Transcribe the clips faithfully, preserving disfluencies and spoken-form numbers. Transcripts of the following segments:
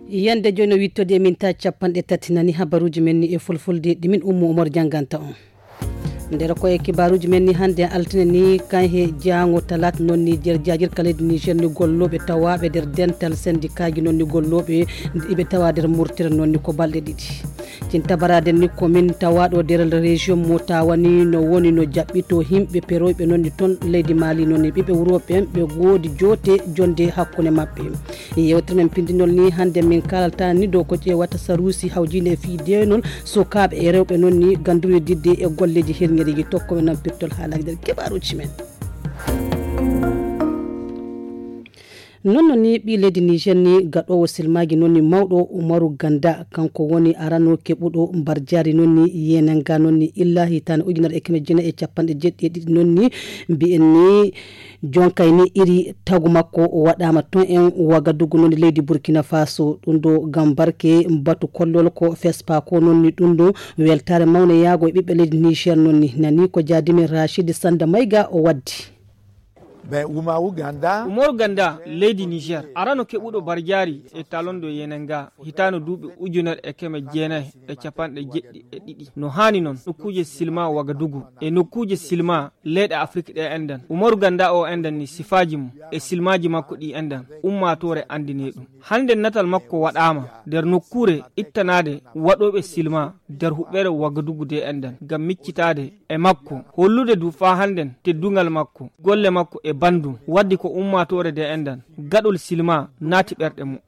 Yande jooni o wittode e min ta capanɗe tati nani habaruuji men ni e fulfulde ɗi min ummo umar jannganta on. Nder ko e kibaaruuji men ni hannde altine ni kan he jaango talaata noon ni nder jaajirka leydi niger ni gollooɓe tawaaɓe nder dental sendikaaji noon ni gollooɓe iɓe tawa nder murtere noon ni ko balɗe ɗiɗi. Cintabaraade ni ko min tawaaɗo nder région mo tawani no woni no jaɓɓito himɓe peroyɓe noon ni toon leydi maali noon ni ɓiɓɓe wuro ɓen ɓe goodi joote jonde hakkunde maɓɓe. Yewtere men pindinol ni hannde min kalata ni dow ko ƴeewata saruusi hawjinde e fii deenol sukaaɓe e rewɓe noon ni ganduri didde e golleeji hirŋereeji tokkoɓe nan pirtol haalaji nder kibaaruuji men. Noon no ni ɓii leydi niger ni gaɗoowo silmaaji noon ni mawɗo umaru ganda kanko woni arano keɓuɗo mbarjaari noon ni yenanga noon ni illa hitaande ujunere e keme jeenayi e capanɗe jeeɗiɗi e ɗiɗi noon ni mbiyen ni jonkay ni iri tagu makko waɗaama toon en wagadugu noon leydi burkina faso ɗum ɗo gam barke batu kollol ko fespa ko noon ni ɗum ɗo weltaare mawne yaago e ɓiɓɓe leydi niger noon ni nani ko jaadimen rachidi sanda mayga o waddi. Umaru ganda leydi niger arano keɓuɗo barjaari e talondo yenenga hitaano duuɓi ujunere e keme jeenayi e capanɗe jeɗɗi e ɗiɗi no haani noon nokkuuje silma wagadugu e nokkuuje silma leyɗe afrik ɗe enɗan umaru ganda o enɗan ni sifaaji mum e silmaaji makko ɗi enɗan ummaatoore anndine ɗum hannde natal makko waɗaama nder nokkuure ittanaade waɗooɓe silma nder huɓɓere wagadugu de enɗan ngam miccitaade e makko hollude du faa hannden teddungal makko golle makko e banndum waddi ko ummaatoore de enɗan gaɗol silma naati ɓerɗe mumen.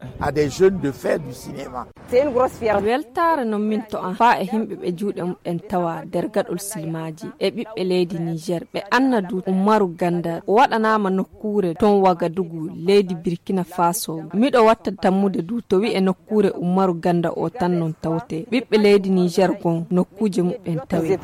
Weltaare non min to an faa e himɓe ɓe juuɗe muɓɓen tawa nder gaɗol silmaaji e ɓiɓɓe leydi niger ɓe annadu ummaru ganda o waɗanaama nokkuure ton wagadugu leydi birkina faso miɗo watta tammude du to wi'e nokkuure ummaru ganda o tan non tawte ɓiɓɓe leydi niger gon nokkuuje muɓɓen tawe.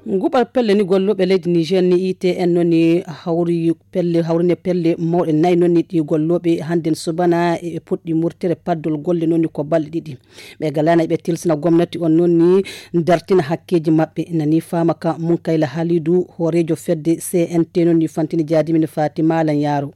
Nguɓal pelle ni gollooɓe leydi niger ni itn noon ni hawri pelle hawrine pelle mawɗe nayi noon ni ɗi gollooɓe hannden subana e puɗɗi murtere paddol golle noon ni ko balɗe ɗiɗi. Ɓe galana ɓe tilsina gomnati on noon ni dartina hakkeeji maɓɓe nani faama ka munkayla halidu hooreejo fedde cnt noon ni fantini jaadimin fatima lan yaaro.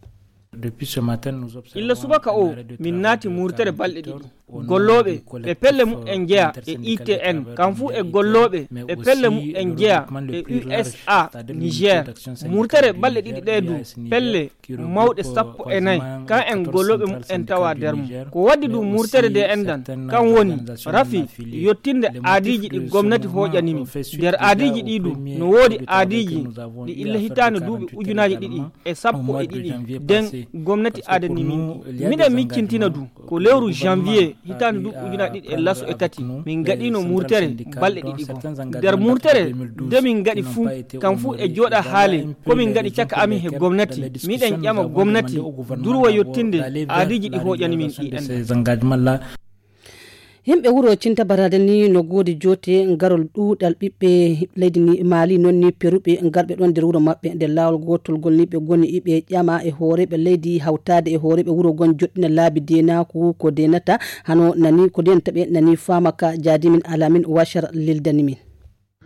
Illa subaka o min naati murtere balɗe ɗiɗi gollooɓe ɓe pelle mumen jeya e itn kam fuu e gollooɓe ɓe pelle mumen jeya e usa niger murtere balɗe ɗiɗi ɗe du pelle mawɗe sappo e nayi kan en gollooɓe mumen tawa nder mum ko waddi du murtere de enɗan kan woni rafi yottinde aadiiji ɗi gomnati hooƴani min nder aadiiji ɗi du no woodi aadiiji ɗi illa hitaande duuɓi ujunaaji ɗiɗi e sappo e ɗiɗi den gomnati aadani min ɗi miɗen miccintina du ko lewru janvier hitaande duuɓi ujunaaji ɗiɗi e laso e tati min gaɗino murtere balɗe ɗiɗi goo nder murtere nde min gaɗi fuu kam fuu e jooɗa haale ko min gaɗi caka amin he gomnati miɗen ƴama gomnati durwa yottinde aadiiji ɗi hooƴani min ɗi enɗan. Himɓe wuro cinta barade ni no goodi joote garol ɗuuɗal ɓiɓɓe leydi ni maali noon ni peruɓe garɓe ɗon nder wuro maɓɓe nder laawol gootol ngol ni ɓe goni iɓe ƴama e hooreeɓe leydi hawtaade e hooreeɓe wuro gon joɗɗina laabi deenaaku ko deenata hano nani ko deenata ɓe nani faama ka jaadimin alamin washar lildani min.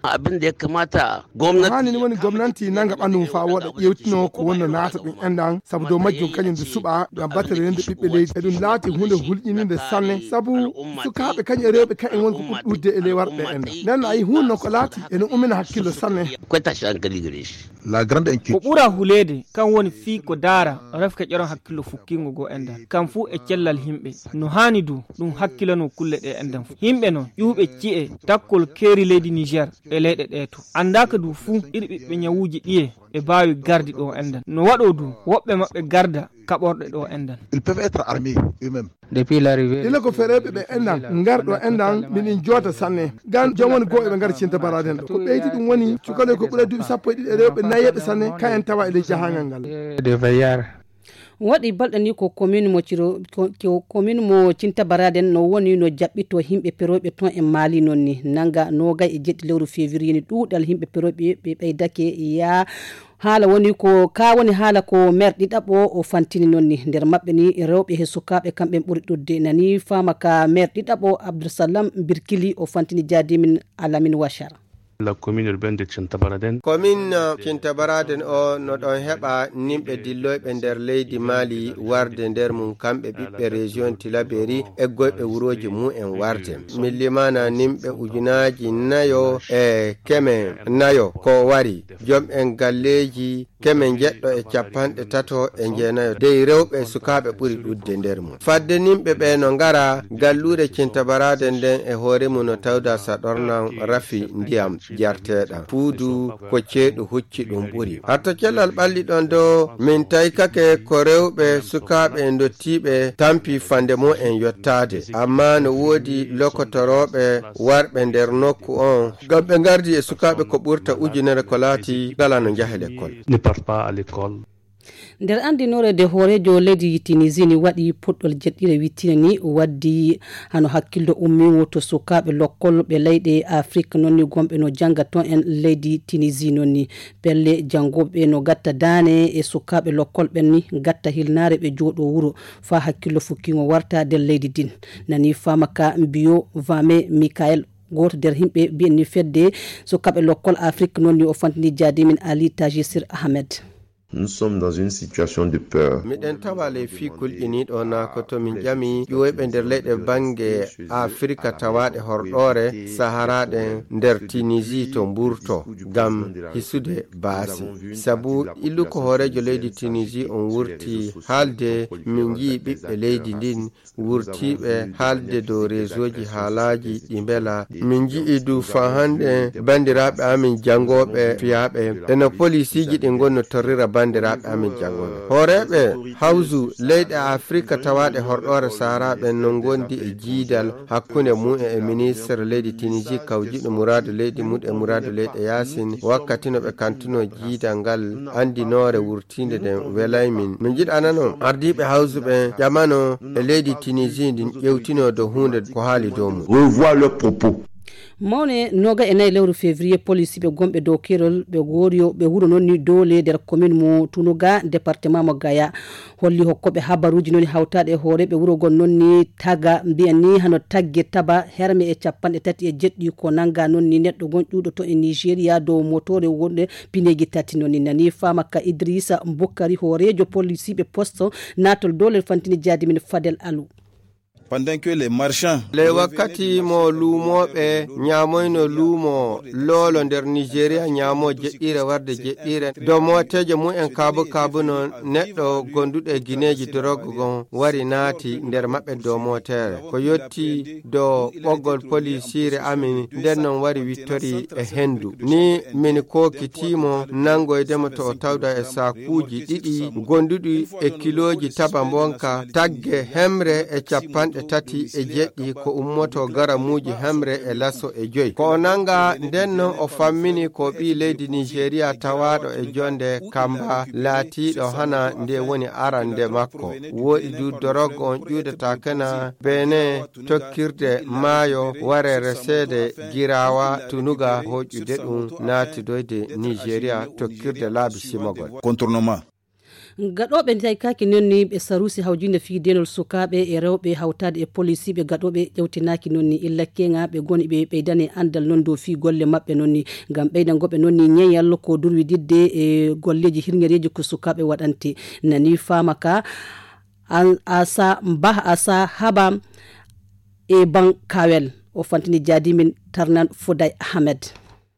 Abin da ya kamata gwamnati hani ni woni gomnanti nanga ɓandu mum faa wooɗa ƴewtino ko wonno naata ɗum enɗan sabu dow majjum kañum nde suɓa ngam batere rende ɓiɓɓe leydi eɗum laati hunde hulƴininde sanne sabu sukaaɓe kañum e rewɓe kañum woni ko ɓuri ɗuudde e ley warɓe enɗan nden a yi hunde noon ko laati ene ummina hakkillo sanne. Ko ɓura huleede kan woni fii ko daara refka ƴeron hakkillo fukkingo goo enɗan kam fuu e cellal himɓe no haani du ɗum hakkilano kulle ɗe enɗan fuu yimɓe no ƴuuɓe ci'e takkol keeri leydi niger e leyɗe ɗee to anndaaka du fuu iri ɓiɓɓe ñawuuji ɗiye ɓe mbaawi gardi ɗo enɗan no waɗoo du woɓɓe maɓɓe garda kaɓorɗe ɗo enɗan. Ila ko fereeɓe ɓe enɗan ngarɗo enɗan miɗen joota sanne gan jom woni goo eɓe ngara cinta baraden ɗo ko ɓeydi ɗum woni cukaloy ko ɓura duuɓi sappo e ɗiɗi e rewɓe nayeɓe sanne kayen tawa e ley jahangal ngal. Waɗi balɗe ni ko commune mo ciro ko commune mo cinta baraden no woni no jaɓɓito himɓe peroyɓe ton e mali noon ni nanga nogay e jeɗɗi lewru février ni ɗuuɗal himɓe peroyɓe ɓe ɓeydake yaa Haala woni ko, ka woni haala ko meer ɗiɗaɓo o fantini noon ni. Nder maɓɓe ni, rewɓe he sukaaɓe kamɓe ɓuri ɗuuɗde. Nani faama ka meer ɗiɗaɓo Abdulsalam Birkili o fantini jaadimin Alamin Wachar. La commune urbaine de Tintabaraden. Commune Tintabaraden o no ɗon heɓa nimɓe dilloyɓe nder leydi Mali warde nder mum kamɓe ɓiɓɓe région Tilaberi eggoyɓe wurooji mumen warde. Min limana nimɓe ujunaaji nayo e keme nayo ko wari. Jom en galleeji keme njeɗɗo e capanɗe tato e jeenayo dey rewɓe e sukaaɓe ɓuri ɗuuɗde nder mum. Fadde nimɓe ɓe no ngara galluure Cintabaraade nden e hoore mum no tawda sa ɗornan rafi ndiyam jarteeɗam. Puudu ko ceeɗu hucci ɗum ɓuri. Hatta cellal ɓalli ɗon do min taykake ko rewɓe sukaaɓe e ndottiiɓe tampi fande mum en yottaade. Amma no woodi lokotorooɓe warɓe nder nokku on. Ngam ɓe ngardi e sukaaɓe ko ɓurta ujunere ko laati ngala no njaha lekkol. Ne part pas à l'école. Nder anndinoore nde hooreejo leydi Tunisie ni waɗi puɗɗol jeɗɗire wittine ni waddi hano hakkillo ummiwo to sukaaɓe lokkol ɓe leyɗe Afrik non ni gomɓe no jannga ton en leydi Tunisie non ni. Pelle janngooɓe no gatta daane e sukaaɓe lokkol ɓen ni gatta hilnaare ɓe jooɗo wuro faa hakkillo fukkiŋo warta nder leydi din. Nani faama ka mbiyo Vame Michael. Gooto nder yimɓe mbiyen ni fedde sukaaɓe lokkol Afrik non ni o fantini jaadimin Ali Tajisir Ahmed. Nous sommes dans une situation de peur. Miɗen tawa ley fii kulƴiniiɗo na ko to min ƴami ƴiwoyɓe nder leyɗe bannge Afirika tawaaɗe horɗoore Sahara ɗen nder Tunisie to mburto ngam hisude baasi. Sabu illu ko hooreejo leydi Tunisie on wurti haalde min njii ɓiɓɓe leydi ndin wurtiiɓe haalde dow reesooji haalaaji ɗi mbela. Min nji'i du faa hannde banndiraaɓe amin janngooɓe fiyaaɓe eno poliisiiji ɗi ngonno torrira banndiraaɓe amin janngooɓe. Hooreeɓe hawsu leyɗe Afirika tawaaɗe horɗoore Sahara ɓen no ngondi e jiidal hakkunde mumen e ministre leydi Tunisie kawjiɗo muraadu leydi mum e muraadu leyɗe yaasin wakkati no ɓe kantuno jiidal ngal anndinoore wurtiinde nden welay min. No njiɗa nanon ardiiɓe hawsu ɓen ƴamano e leydi Tunisie ndin ƴewtino dow huunde ko haali dow mum. Revoir leurs propos. Mawne nooga e nayi lewru février, polisiiɓe gonɓe dow keerol ɓe goori yo ɓe wuro noon ni doole nder commune mo Tunuga, département mo Gaya. Holli hokkooɓe habaruuji noon hawtaaɗe e hooreeɓe wuro ngon noon ni taga, mbiyan ni hano tagge taba herme e capanɗe tati e jeɗɗi ko nannga noon ni neɗɗo gon ƴuuɗoto e Nigeria dow motoore wonde pineeji tati noon ni. Nani faama ka Idrissa Boukari, hooreejo polisiiɓe poste naatol doole fantini jaadimin Fadel Alou. Pendant que les marchands ley wakkati mo luumooɓe ñaamoyno luumo loolo nder Nigeria ñaamo jeɗɗiire warde jeɗɗiire, dow mooteeje mumen kaabu kaabu no neɗɗo gonduɗo e gineeji dorog gon wari naati nder maɓɓe dow mootere. Ko yotti dow ɓoggol polisiire amin nden non wari wittori e hendu. Ni min kookitiimo nanngoydemo to o tawda e saakuuji ɗiɗi gonduɗi e kilooji taba mbonka tagge hemre e capanɗe tati e jeɗɗi ko ummoto garamuuji hemre e laso e joy. Ko o nannga nden non o fammini ko ɓii leydi Nigeria tawaaɗo e jonde kamba laatiiɗo hana nde woni arande makko. Wooɗi du dorog on ƴuudata kana Benin tokkirde maayo wareere seede giraawa Tunuga hoƴƴude ɗum naatidoyde Nigeria tokkirde laabi simagol. Contournement. Gaɗooɓe ndiyaykaaki noon ni ɓe saruusi hawjinde fii deenol sukaaɓe e rewɓe hawtaade e polisiiɓe gaɗooɓe ƴewtinaaki noon ni illa keŋa ɓe goni ɓe ɓeydane anndal noon dow fii golle maɓɓe noon ni ngam ɓeydango ɓe noon ni ñeeyal ko durwididde e golleeji hirñereeji ko sukaaɓe waɗante. Nani faama ka Al Asa Bah Asa Haba e Ban Kawel o fantini jaadimin Tarnan Fuday Ahmed.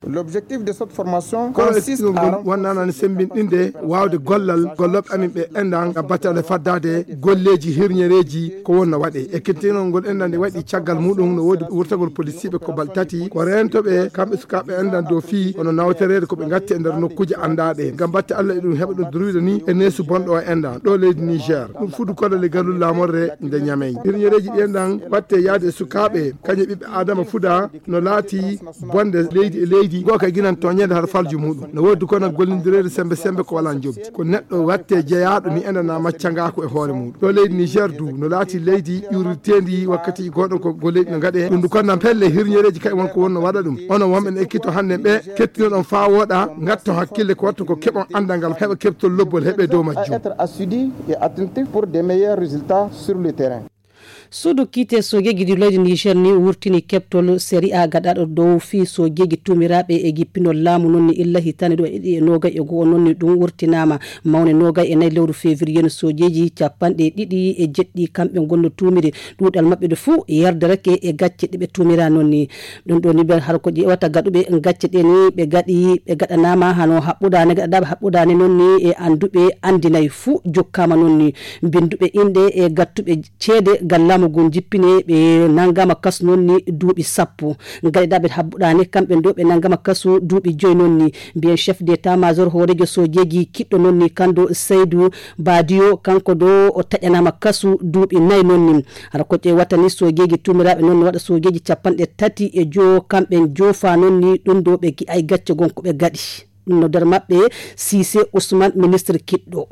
L'objectif de cette formation consiste à wonnanani sembinɗinde waawde gollal gollooɓe amin ɓe enɗan ngam battale faddaade golleeji hirñereeji ko wonno waɗe. Ekkitinol ngol enɗan nde waɗi caggal muɗum no woodi wurtagol polisiiɓe ko bal tati ko reentoɓe kamɓe sukaaɓe enɗan dow fii hono nawtoreede ko ɓe ngatti e nder nokkuuje anndaaɗe ngam batte Allah e ɗum heɓa ɗum durwida ni e neesu bonɗo o enɗan ɗo leydi Niger. Ɗum fudu koɗo le gallu laamorde nde Ñamey. Hirñereeji ɗi enɗan watte yaade e sukaaɓe kañe ɓiɓɓe Adama fuda no laati bonde leydi e leydi. Ngo kay ginan toñeede har falju muɗum. No woodi kono gollindireede sembe sembe ko wala njobdi. Ko neɗɗo watte jeyaaɗo mi ena na macca ngaako e hoore muɗum. Ɗo leydi Niger du no laati leydi ƴurirteendi wakkati goɗo ko go leydi no ngaɗe. Ɗum du kono pelle hirñereeji kay won ko wonno waɗa ɗum. Onon wonɓe no ekkito hannde ɓe kettinoɗon faa wooɗa ngatto hakkille ko wattu ko keɓon anndal ngal heɓa keɓtol lobbol heɓe dow majjum. Être assidus et attentifs pour des meilleurs résultats sur le terrain. Suudu kiite soojeeji ɗi leydi Niger ni wurtini keɓtol sariya gaɗaaɗo dow fii soojeeji tuumiraaɓe e jippinol laamu non ni illa hitaande ɗo e ɗiɗi e noogay e go'o non ni ɗum wurtinaama. Mawne noogay e nayi lewru février no soojeeji capanɗe ɗiɗi e jeɗɗi kamɓe ngonno tuumiri ɗuuɗal maɓɓe ɗo fuu yardarake e gacce ɗe ɓe tuumira non ni. Ɗum ɗo ni ɓe har ko ƴeewata gaɗuɓe gacce ɗe ni ɓe gaɗi ɓe gaɗanaama hano haɓɓudaane gaɗaɗaaɓe haɓɓudaane non ni e annduɓe anndinayi fuu jokkaama non ni. Binnduɓe inɗe e gattuɓe ceede gallaamu ngun jippine ɓe nanngama kasu non ni duuɓi sappo. Gaɗaɗaaɓe haɓɓudaane kamɓe ɗo ɓe nanngama kasu duuɓi joyi non ni. Mbiyen chef d'état major hooreejo soojeeji kiɗɗo non ni kanndo Saydu Badiyo kanko ɗo o taƴanaama kasu duuɓi nayi non ni. Hara ko ƴeewata ni soojeeji tuumiraaɓe non no waɗa soojeeji capanɗe tati e jowo kamɓe joofa non ni ɗum ɗo ɓe gi'ay gacce gon ko ɓe gaɗi. Ɗum no nder maɓɓe Sise Ousmane ministre kiɗɗo.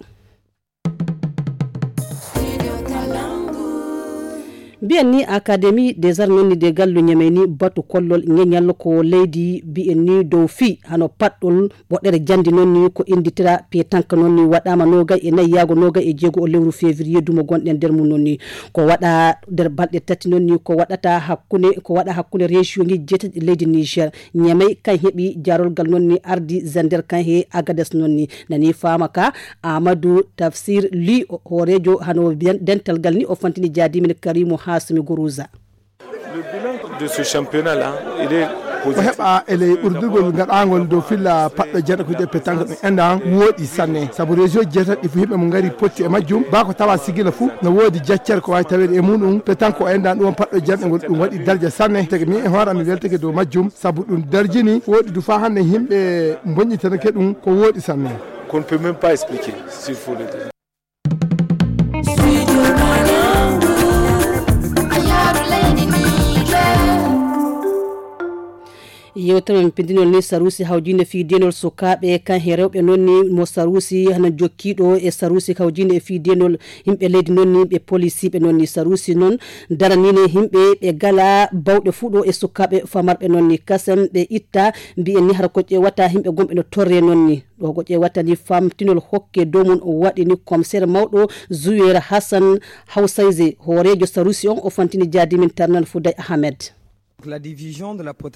Mbiyen ni Académie des Arts non ni de gallu ñamey ni batu kollol ñeñal ko leydi mbiyen ni dow fii hano paɗɗol ɓoɗɗere jandi non ni ko inditira petanque non ni waɗama nogay e nayi yaago nogay e jeego o lewru février dumo gonɗen nder mum non ni ko waɗa nder balɗe tati non ni ko waɗata hakkunde ko waɗa hakkunde région ji jeetati leydi Niger. Ñamey kan heɓi jarolgal non ni ardi zander kan he agades non ni nani fama ka Amadou Tafsir Ly hoorejo hano dental gal ni o fantini jaadimin Karimu Hasimi Guruza. De ce championnat là il est ko heɓa e ley ɓurdugol ngaɗangol dow filla paɗɗo jeeɗa ko je pétanque ɗum endan wooɗi sanne sabu région jeetati ɗi fof yimɓe mo ngari potti e majjum ba ko tawa sigila fof no woodi jaccere ko wawi taweede e muɗum pétanque o endan ɗum on paɗɗo jeeɗa ngol ɗum waɗi darja sanne tege min e hoore am mi weltake dow majjum sabu ɗum darjini wooɗi du fa hannde yimɓe bonñitanake ɗum ko wooɗi sanne. Qu'on ne peut même pas expliquer s'il faut le dire. Yewtere men pindinol ni sarusi hawjinde fii denol sukaaɓe kan he rewɓe noon ni mo sarusi hana jokkiiɗo e sarusi hawjinde e fii denol yimɓe leydi noon ni ɓe polisiiɓe noon ni sarusi noon daranine yimɓe ɓe gala bawɗe fuu ɗo e sukaaɓe famarɓe noon ni kasen ɓe itta mbiyen ni hara ko ƴeewata yimɓe gomɓe no torre noon ni ɗo ko ƴeewata ni famtinol hokke dow mum o waɗi ni commissaire mawɗo zuwera hassan hawsayse hooreejo sarusi on o fantini jaadimin tarnan fuday ahmed.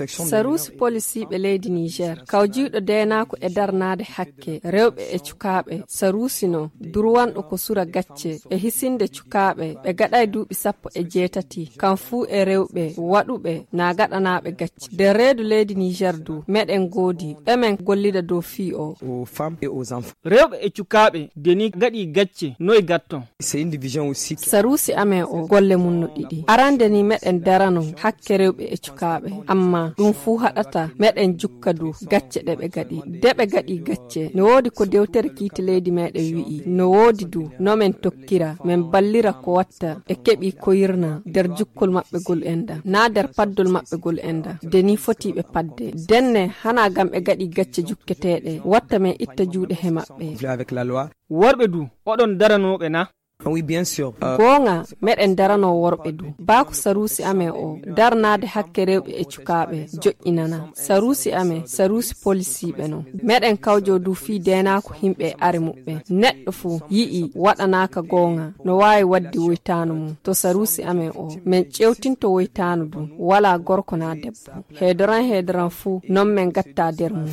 Saruusi polisiiɓe leydi Niger kawjiiɗo deenaako e darnaade hakke rewɓe e cukaaɓe saruusi no durwanɗo ko sura gacce e hisinde cukaaɓe ɓe gaɗay duuɓi sappo e jeetati kam fuu e rewɓe waɗuɓe na gaɗanaaɓe gacce nder reedu leydi Niger du meɗen ngoodi ɓe men gollida dow fii o. Rewɓe e cukaaɓe de ni gaɗi gacce noy gatton. Saruusi amen o golle mum no ɗiɗi arande ni meɗen darano hakke rewɓe e cukaaɓe amma ɗum fuu haɗata meɗen jukka du gacce ɗe ɓe gaɗi de ɓe gaɗi gacce no woodi ko dewtere kiite leydi meɗen wi'i no woodi du no men tokkira men ballira ko watta ɓe keɓi koyirna nder jukkol maɓɓe gol enda na nder paddol maɓɓe gol enda de ni foti ɓe padde denne hana gam ɓe gaɗi gacce jukketeeɗe watta men itta juuɗe he maɓɓe. Worɓe du oɗon daranooɓe na? Goonga meɗen daranoo worɓe du baa ko saruusi amen o darnaade hakke rewɓe e cukaaɓe joƴƴinana saruusi amen saruusi polisiiɓe no meɗen kawjoo du fii deenaako himɓe e are muɓɓen neɗɗo fuu yi'i waɗanaaka goonga no waawi waɗdi woytaanu mum to saruusi amen o men ƴeewtinto woytaanu du walaa gorko naa debbo heedoran heedoran fuu non men gatta der mum.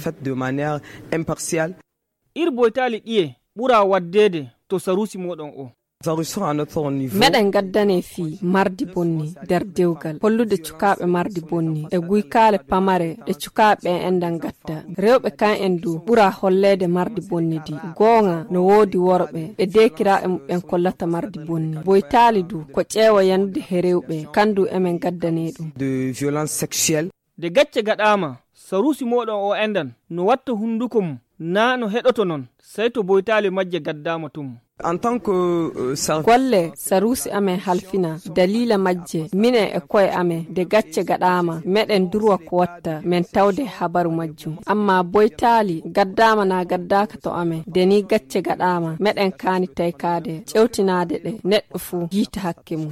Ir boytaali ɗiye ɓura waɗdeede to saruusi mooɗon o? Meɗen gaddane fii mardi bonni nder dewgal hollude cukaaɓe mardi bonni e guykaale pamare ɗe cukaaɓe ɓen enɗan gatta rewɓe kan en du ɓura holleede mardi bonni di goonga no woodi worɓe ɓe deekiraaɓe muɓɓen kollata mardi bonni boytaali du ko ƴeewa yanude he rewɓe kan du emen gaddane ɗum. De gacce gaɗaama saruusi mooɗon o enɗan no watta hunnduko mum. Naa no heɗoto non, sey to boytaali majje gaddaama tum. Golle saruusi amen halfina daliila majje, minen e koye amen, nde gacce gaɗaama, meɗen durwa ko watta men tawde habaru majjum. Amma boytaali gaddaama naa gaddaaka to amen, nde nii gacce gaɗaama, meɗen kaani taykaade, ƴewtinaade ɗe, neɗɗo fuu jiita hakke mum.